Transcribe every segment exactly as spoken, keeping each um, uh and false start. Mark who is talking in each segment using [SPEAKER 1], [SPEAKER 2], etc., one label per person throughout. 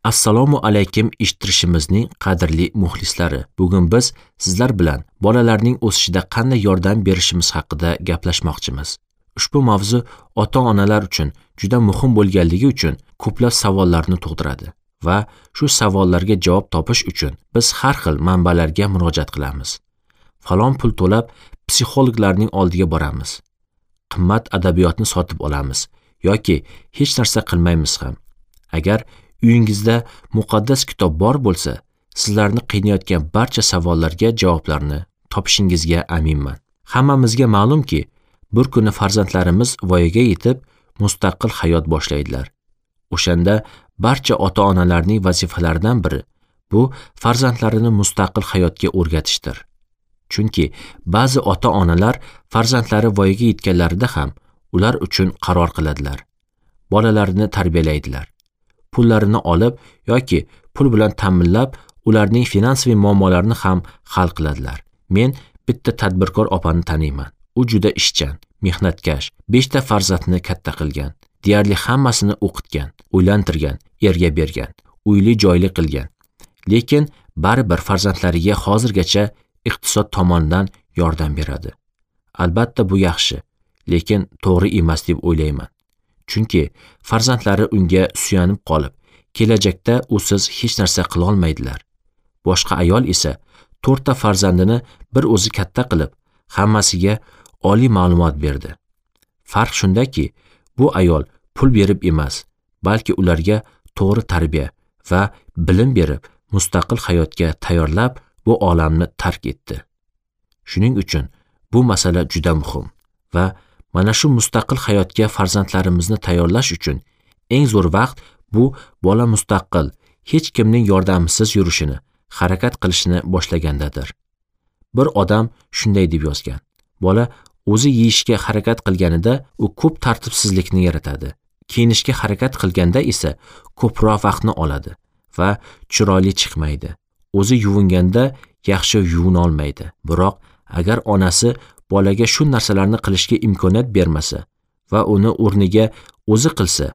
[SPEAKER 1] Assalomu alaykum eshittirishimizning qadrli muxlislari. Bugun biz sizlar bilan bolalarning o'sishida qanday yordam berishimiz haqida gaplashmoqchimiz. Ushbu mavzu ota-onalar uchun juda muhim bo'lganligi uchun ko'plab savollarni tug'diradi va shu savollarga javob topish uchun biz har xil manbalarga murojaat qilamiz. Falon pul to'lab psixologlarning oldiga boramiz. Qimmat adabiyotni sotib olamiz yoki hech narsa qilmaymiz ham. Agar uyingizda muqaddas kitob bor bo'lsa, sizlarni qiynayotgan barcha savollarga javoblarni topishingizga aminman. Hammamizga ma'lumki, bir kuni farzandlarimiz voyaga yetib, mustaqil hayot boshlaydilar. O'shanda barcha ota-onalarning vazifalaridan biri bu farzandlarini mustaqil hayotga o'rgatishdir. Chunki ba'zi ota-onalar farzandlari voyaga yetganlarida ham ular uchun qaror qiladilar. Bolalarini tarbiyalaydilar. Pullarini olib yoki pul bilan ta'minlab, ularning finansiy muammolarini ham hal qiladilar. Men bitta tadbirkor opani taniyman. U juda ishchan, mehnatkash, beshta farzandni katta qilgan, deyarli hammasini o'qitgan, uylantirgan, erga bergan, uyli joyli qilgan. Lekin baribir farzandlariga hozirgacha iqtisod tomonidan yordam beradi. Albatta bu yaxshi, lekin to'g'ri emas deb o'ylayman. Chunki farzandlari unga suyanib qolib, kelajakda usiz hech narsa qila olmaydilar. Boshqa ayol esa to'rtta farzandini bir o'zi katta qilib, hammasiga oliy ma'lumot berdi. Farq shundaki, bu ayol pul berib emas, balki ularga to'g'ri tarbiya va bilim berib, mustaqil hayotga tayyorlab, bu olamni tark etdi. Shuning uchun bu masala juda muhim va mana shu mustaqil hayotga farzandlarimizni tayyorlash uchun eng zo'r vaqt bu bola mustaqil, hech kimning yordamisiz yurishini, harakat qilishini boshlagandadir. Bir odam shunday deb yozgan: bola o'zi yeyishga harakat qilganida u ko'p tartibsizlikni yaratadi. Kiyinishga harakat qilganda esa ko'proq vaqtni oladi va chiroyli chiqmaydi. O'zi yuvinganda yaxshi yuvina olmaydi. Biroq agar onasi bolaga shu narsalarni qilishga imkoniyat bermasa va uni o'rniga o'zi qilsa,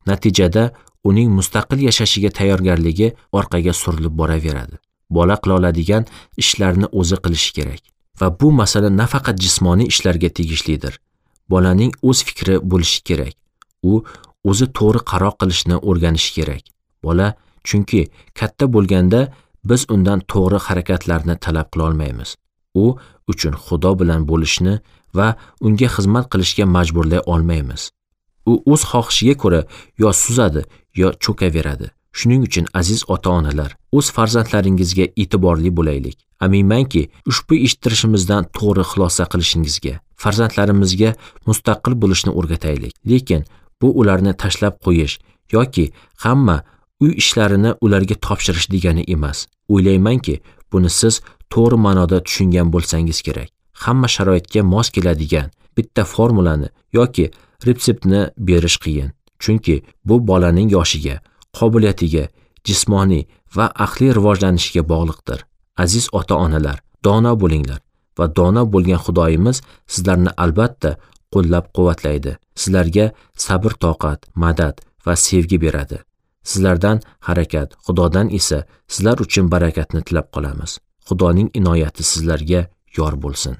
[SPEAKER 1] natijada uning mustaqil yashashiga tayyorgarligi orqaga surilib boraveradi. Bola qila oladigan ishlarni o'zi qilishi kerak. Va bu masala nafaqat jismoniy ishlarga tegishlidir. Bolaning o'z fikri bo'lishi kerak. U o'zi to'g'ri qaror qilishni o'rganishi kerak. Bola chunki katta bo'lganda biz undan to'g'ri harakatlarni talab qila olmaymiz. U uchun Xudo bilan bo'lishni va unga xizmat qilishga majburlay olmaymiz. U o'z xohishiga ko'ra yo suzadi, yo cho'kaveradi. Shuning uchun aziz ota-onalar, o'z farzandlaringizga e'tiborli bo'laylik. Aminmanki, ushbu eshittirishimizdan to'g'ri xulosa qilishingizga, farzandlarimizga mustaqil bo'lishni o'rgataylik. Lekin bu ularni tashlab qo'yish yoki hamma uy ishlarini ularga topshirish degani emas. O'ylaymanki, buni siz to'g'ri ma'noda tushungan bo'lsangiz kerak. Hamma sharoitga mos keladigan bitta formulani yoki retseptni berish qiyin. Chunki bu bolaning yoshiga, qobiliyatiga, jismoniy va aqliy rivojlanishiga bog'liqdir. Aziz ota-onalar, dono bo'linglar va dono bo'lgan Xudoyimiz sizlarni albatta qo'llab-quvvatlaydi. Sizlarga sabr-toqat, madad va sevgi beradi. Sizlardan harakat, Xudodan esa sizlar uchun barakatni tilab qolamiz. Xudoning inoyati sizlarga yor bo'lsin.